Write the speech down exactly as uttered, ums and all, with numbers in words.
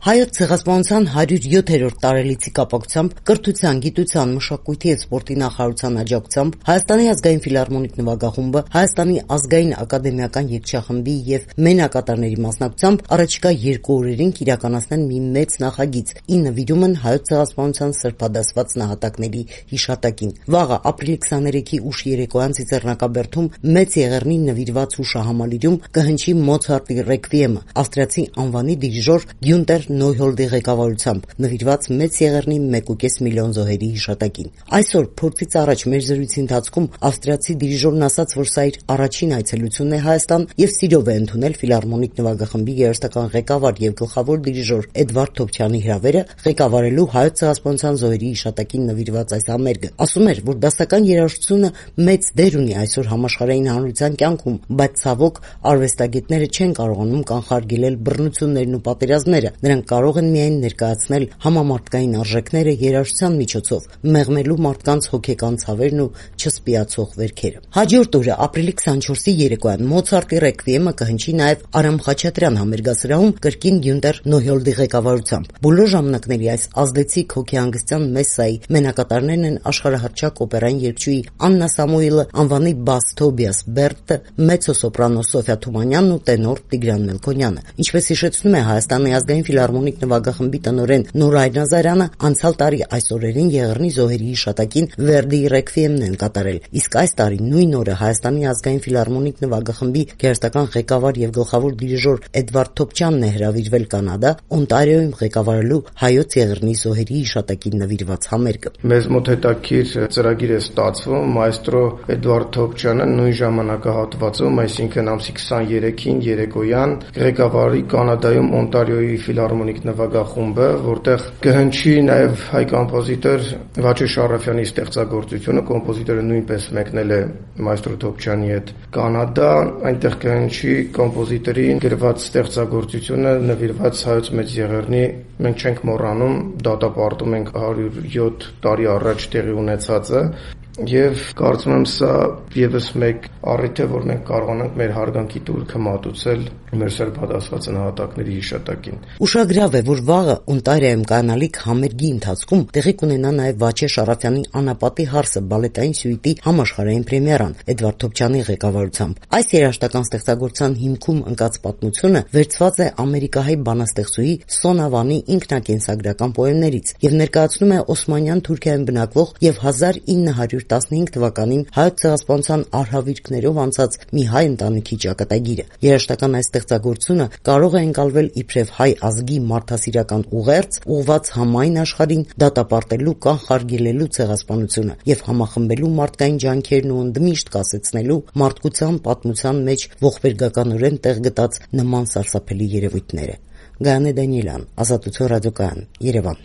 Հայոց ցեղասպանության հարյուր յոթերորդ տարելիցի կապակցությամբ կրթության, գիտության, մշակույթի և սպորտի նախարարության աջակցությամբ Հայաստանի ազգային ֆիլհարմոնիկ նվագախումբը, Հայաստանի ազգային ակադեմիական երգչախմբի և մենակատարների մասնակցությամբ առաջիկա երկու օրերին կիրականացնեն մի մեծ նախագիծ՝ ի նվիրումն Հայոց ցեղասպանության սրբադասված նահատակների հիշատակին։ Վաղը ապրիլի քսաներեքի ուշ երեկոյան Ծիծեռնակաբերդում Մեծ Եղեռնին նվիրված հուշահամալիրում կհնչի Մոցարտի ռեկվիեմը ավստրիացի անվանի դիրիժոր Գյունտեր Նոյհոլդի ղեկավարությամբ, նվիրված Մեծ Եղեռնի մեկ ու կես միլիոն զոհերի հիշատակին։ Այսօր փորձից առաջ մեր զրույցի ընթացքում ավստրիացի դիրիժորն ասաց, որ սա իր առաջին այցելությունն է Հայաստան և սիրով է ընդունել ֆիլհարմոնիկ նվագախմբի երաժշտական ղեկավար և գլխավոր դիրիժոր Էդվարդ Թոփչյանի հրավերը ղեկավարելու Հայոց ցեղասպանության զոհերի հիշատակին նվիրված այս համերգը։ Ասում էր, որ դասական երաժշտությունը մեծ դեր ունի այսօր համաշխարհային հանրության կյանքում, բայց ցավոք արվեստագետները չեն կարողանում կանխարգելել բռնություններն ու պատերազմները։ Նրանք կարող են միայն ներկայացնել համամարտկային արժեքները երաժշտության միջոցով, մեղմելու մարդկանց հոգեկան ցավերն ու չսպիացող վերքերը։ Հաջորդ օրը ապրիլի քսանչորսի երեկոյան Մոցարտի ռեկվիեմը կհնչի նաև Արամ Խաչատրյան համերգասրահում կրկին Գյունտեր Նոյհոլդի ղեկավարությամբ։ Բոլոր ժամանակների այս ազդեցիկ հոգեհանգստյան մեսսայի մենակատարներն են աշխարհահռչակ օպերային երգչուհի Աննա Սամուելը, անվանի բաս Թոբիաս Բերտը, մեծո-սոպրանո Սոֆյա Թումանյանն ու տենոր Տիգրան Մելքոնյանը։ Ինչպես հիշեցնում է Հայաստանի ազգային ֆիլհարմոնիկ նվագախմբի տնօրեն Նորայր Նազարյանը, անցյալ տարի այս օրերին Եղեռնի զոհերի հիշատակին Վերդիի ռեկվիեմն են կատարել, իսկ այս տարի նույն օրը Հայաստանի ազգային ֆիլհարմոնիկ նվագախմբի գերստական ղեկավար և գլխավոր դիրիժոր Էդվարդ Թոփչյանն է հրավիրվել Կանադա, Օնտարիոյում ղեկավարելու Հայոց Եղեռնի զոհերի հիշատակին նվիրված համերգը։ Մեզ մոտ հետաքրքիր ծրագիր է ստացվում, մայստրո Էդվարդ Թոփչյանը նույն ժամանակահատվածում, այսինքն ամսի քսաներեքին երեկոյան ղեկավարի Կանադայում Օնտարիոյի ֆիլհարմոնիկ նվագախումբը, որտեղ կհնչի նաև հայ կոմպոզիտոր Վաչե Շարաֆյանի ստեղծագործությունը, կոմպոզիտորը նույնպես մեկնել է մայստրո Թոփչյանի հետ Կանադա, այնտեղ կհնչի կոմպոզիտորին գրված ստեղծագործությունը նվիրված Հայոց Մեծ Եղեռնի։ Մենք չենք մոռանում, դատապարտում ենք հարյուր յոթ տարի առաջ տեղի ունեցածը, եւ կարծում եմ սա եւս մեկ առիթ է, որ մենք կարողանանք մեր հարգանքի տուրքը մատուցել մեր սրբադասված նահատակների հիշատակին։ Ուշագրավ է, որ վաղը Օնտարիոյում կայանալիք համերգի ընթացքում տեղի կունենա նաև Վաչե Շարաֆյանի Անապատի հարսը բալետային սյուիտի համաշխարհային պրեմիերան Էդվարդ Թոփչյանի ղեկավարությամբ։ Այս երաժշտական ստեղծագործության հիմքում ընկած պատմությունը վերցված է ամերիկահայ բանաստեղծուհի Սոնա Վանի ինքնակենսագրական պոեմներից եւ ներկայացնում է Օսմանյան Թուրքիայում բնակվող եւ հազար ինը հարյուր տասնհինգ թվականին Հայոց ցեղասպանության արհավիրքներով անցած մի հայ ընտանիքի ճակատագիրը։ Երաժշտական այս ստեղծագործությունը կարող է ընկալվել իբրև հայ ազգի մարդասիրական ուղերձ, ուղղված համայն աշխարհին դատապարտելու, կանխարգելելու ցեղասպանությունը եւ համախմբելու մարդկային ջանքերն ու ընդմիշտ կասեցնելու մարդկության պատմության մեջ ողբերգականորեն տեղ գտած նման սարսափելի երևույթները։ Գայանե Դանիելյան, Ազատություն ռադիոկայան, Երևան։